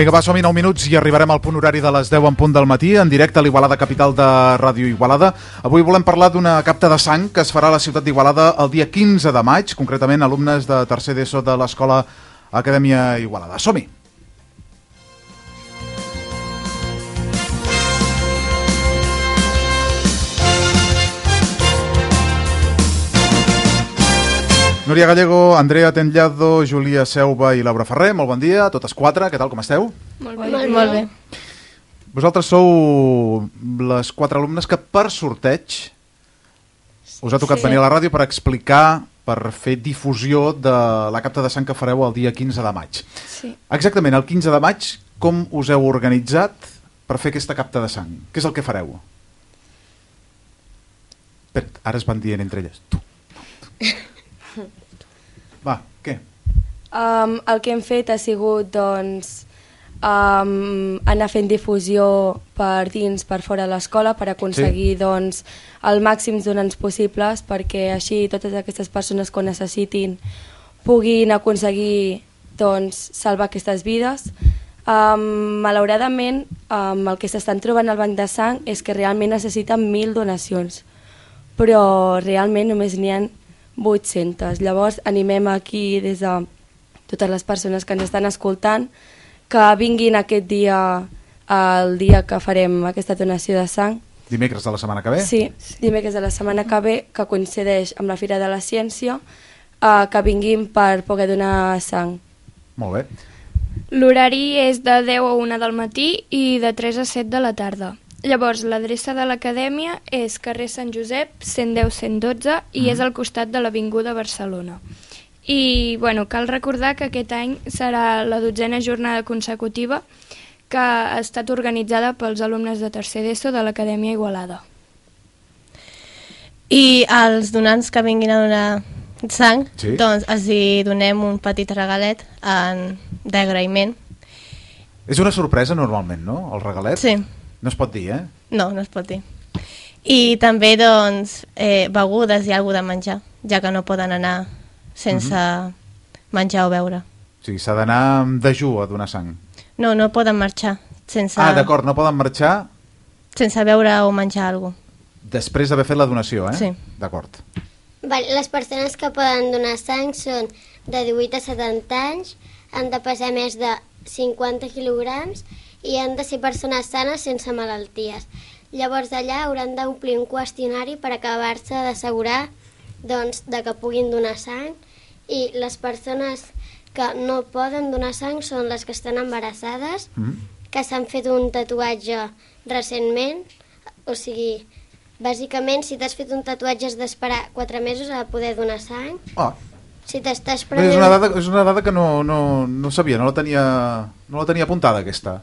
Vinga, va, som-hi 9 minuts i arribarem al punt horari de les 10 en punt del matí, en directe a l'Igualada Capital de Ràdio Igualada. Avui volem parlar d'una capta de sang que es farà a la ciutat d'Igualada el dia 15 de maig, concretament alumnes de tercer d'ESO de l'Escola Acadèmia Igualada. Som-hi! Núria Gallego, Andrea Tendllado, Júlia Seuba i Laura Ferrer, molt bon dia a totes quatre, què tal, com esteu? Molt bé. Vosaltres sou les quatre alumnes que per sorteig us ha tocat venir a la ràdio per explicar, per fer difusió de la capta de sang que fareu el dia 15 de maig. Sí. Exactament, el 15 de maig, com us heu organitzat per fer aquesta capta de sang? Què és el que fareu? Ara es van dient entre elles. Tu. Va, què? El que hem fet ha sigut, doncs, anar fent difusió per dins, per fora de l'escola, per aconseguir, doncs, el màxim donants possibles, perquè així totes aquestes persones que ho necessitin puguin aconseguir, doncs, salvar aquestes vides. Malauradament, el que s'estan trobant al banc de sang és que realment necessiten 1.000 donacions, però realment només n'hi ha 800. Llavors animem aquí des de totes les persones que ens estan escoltant que vinguin aquest dia, el dia que farem aquesta donació de sang. Dimecres de la setmana que ve? Sí, dimecres de la setmana que ve, que coincideix amb la Fira de la Ciència, que vinguin per poder donar sang. Molt bé. L'horari és de 10 a 1 del matí i de 3 a 7 de la tarda. Llavors, l'adreça de l'acadèmia és carrer Sant Josep, 110-112, i és al costat de l'Avinguda Barcelona. I, bueno, cal recordar que aquest any serà la 12a jornada consecutiva que ha estat organitzada pels alumnes de tercer d'ESO de l'Acadèmia Igualada. I als donants que vinguin a donar sang, Sí. doncs els hi donem un petit regalet d'agraïment. És una sorpresa normalment, no?, el regalet? Sí. No es pot dir, eh? No, no es pot dir. I també, doncs, begudes i alguna de menjar, ja que no poden anar sense menjar o beure. O sigui, s'ha d'anar amb dejú a donar sang. No, no poden marxar sense, D'acord, no poden marxar sense beure o menjar alguna cosa. després d'haver fet la donació, eh? Sí. D'acord. Les persones que poden donar sang són de 18 a 70 anys, han de pesar més de 50 quilograms i han de ser persones sanes sense malalties. Llavors d'allà hauran d'omplir un qüestionari per acabar-se d'assegurar, doncs, de que puguin donar sang, i les persones que no poden donar sang són les que estan embarassades, que s'han fet un tatuatge recentment, o sigui, bàsicament si t'has fet un tatuatge has d'esperar 4 mesos a poder donar sang. Si t'estàs prenent... És una dada que no sabia, no la tenia apuntada, aquesta.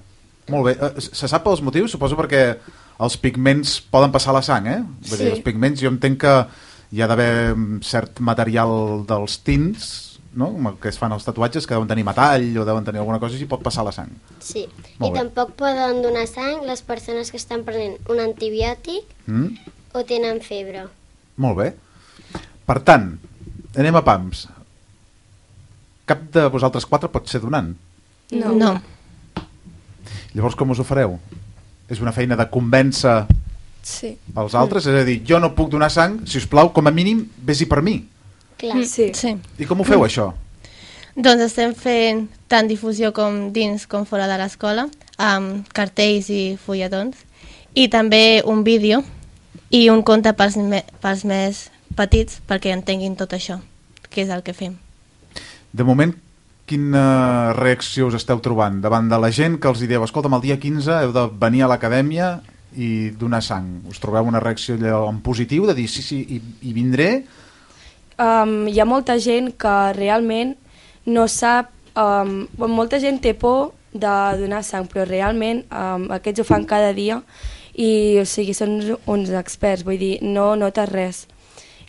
Molt bé. Se sap els motius? Suposo perquè els pigments poden passar a la sang, eh? Vull dir, els pigments, jo entenc que hi ha d'haver cert material dels tints, no?, que es fan els tatuatges, que deuen tenir metall o deuen tenir alguna cosa i pot passar a la sang. Sí, i tampoc poden donar sang les persones que estan prenent un antibiòtic o tenen febre. Molt bé. Per tant, anem a pams. Cap de vosaltres quatre pot ser donant? No. Llavors com us ho fareu? És una feina de convèncer els altres? És a dir, jo no puc donar sang, si us plau, com a mínim, vés-hi per mi. Clar. Sí. I com ho feu, això? Doncs estem fent tant difusió com dins com fora de l'escola, amb cartells i fulletons, i també un vídeo i un conte pels més petits perquè entenguin tot això, que és el que fem. De moment, quina reacció us esteu trobant davant de la gent que els dieu, escolta'm, el dia 15 heu de venir a l'acadèmia i donar sang? Us trobeu una reacció en positiu, de dir sí, hi vindré? Hi ha molta gent que realment no sap, molta gent té por de donar sang, però realment aquests ho fan cada dia i, o sigui, són uns experts, vull dir, no notes res.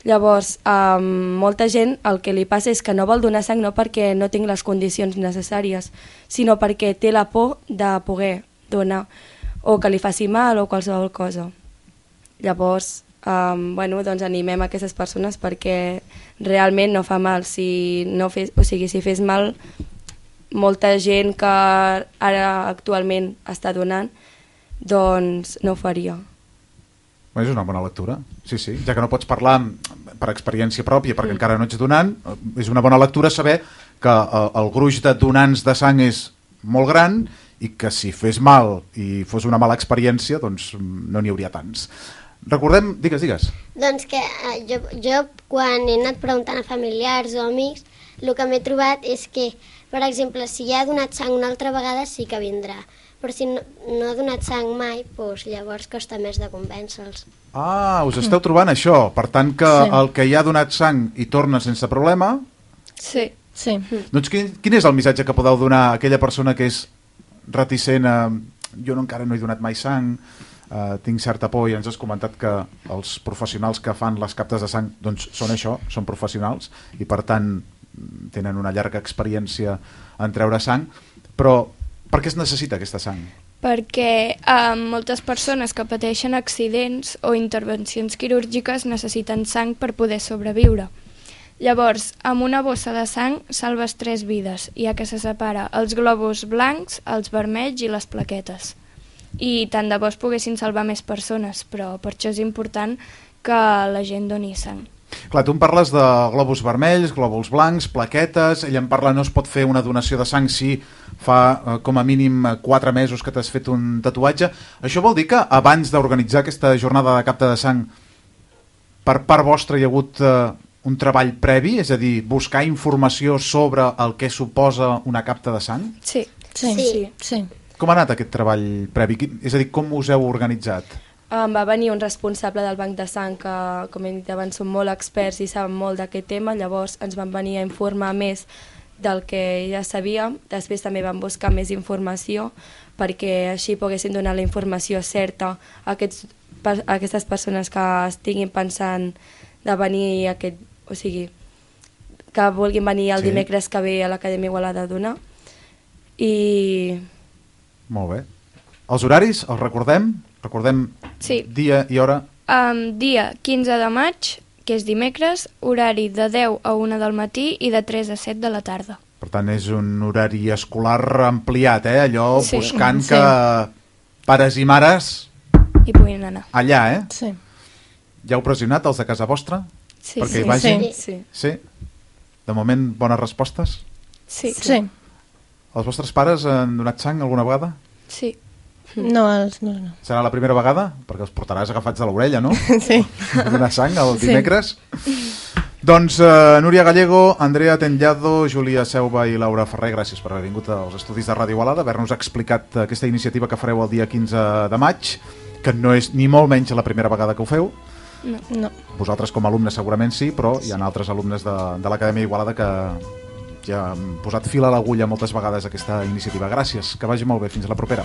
Llavors, molta gent el que li passa és que no vol donar sang no perquè no tinc les condicions necessàries, sinó perquè té la por de poder donar, o que li faci mal o qualsevol cosa. Llavors, doncs animem aquestes persones perquè realment no fa mal. Si fes mal, molta gent que ara actualment està donant, doncs no ho faria. És una bona lectura, sí, ja que no pots parlar per experiència pròpia perquè encara no ets donant, és una bona lectura saber que el gruix de donants de sang és molt gran i que si fes mal i fos una mala experiència doncs no n'hi hauria tants. Recordem, digues. Doncs que jo quan he anat preguntant a familiars o amics, el que m'he trobat és que, per exemple, si ja ha donat sang una altra vegada sí que vindrà, però si no ha donat sang mai, doncs llavors costa més de convèncer-los. Us esteu trobant això, per tant que el que ja ha donat sang i torna sense problema... Sí. Doncs quin és el missatge que podeu donar a aquella persona que és reticent a... Jo encara no he donat mai sang, tinc certa por, i ens has comentat que els professionals que fan les captes de sang doncs són això, són professionals i per tant tenen una llarga experiència en treure sang, però per què es necessita aquesta sang? Perquè moltes persones que pateixen accidents o intervencions quirúrgiques necessiten sang per poder sobreviure. Llavors, amb una bossa de sang salves 3 vides, ja que se separa els glòbuls blancs, els vermells i les plaquetes. I tant de bo es poguessin salvar més persones, però per això és important que la gent doni sang. Clar, tu em parles de glòbuls vermells, glòbuls blancs, plaquetes, ella em parla no es pot fer una donació de sang si fa com a mínim 4 mesos que t'has fet un tatuatge. Això vol dir que abans d'organitzar aquesta jornada de capta de sang per part vostra hi ha hagut un treball previ, és a dir, buscar informació sobre el que suposa una capta de sang? Sí. Com ha anat aquest treball previ? És a dir, com us heu organitzat? Va venir un responsable del banc de sang que, com he dit abans, són molt experts i saben molt d'aquest tema, llavors ens van venir a informar més del que ja sabíem. Després també vam buscar més informació perquè així poguessin donar la informació certa a aquestes persones que estiguin pensant de venir o sigui, que vulguin venir el dimecres que ve a l'Acadèmia Igualada a donar. I... Molt bé. Els horaris, els recordem? Recordem dia i hora? Dia 15 de maig, que és dimecres, horari de 10 a 1 del matí i de 3 a 7 de la tarda. Per tant, és un horari escolar ampliat, allò buscant que pares i mares hi puguin anar. Allà, Sí. Ja heu pressionat els de casa vostra? Sí. Perquè hi vagin? Sí. De moment, bones respostes? Sí. Els vostres pares han donat sang alguna vegada? Sí. No. Serà la primera vegada? Perquè els portaràs agafats de l'orella, no? Sí. Donar sang el dimecres? Doncs Núria Gallego, Andrea Tellado, Júlia Seuba i Laura Ferrer, gràcies per haver vingut als estudis de Ràdio Igualada, haver-nos explicat aquesta iniciativa que fareu el dia 15 de maig, que no és ni molt menys la primera vegada que ho feu. No. Vosaltres com a alumnes segurament sí, però hi ha altres alumnes de l'Acadèmia Igualada que ja han posat fil a l'agulla moltes vegades a aquesta iniciativa. Gràcies, que vagi molt bé, fins a la propera.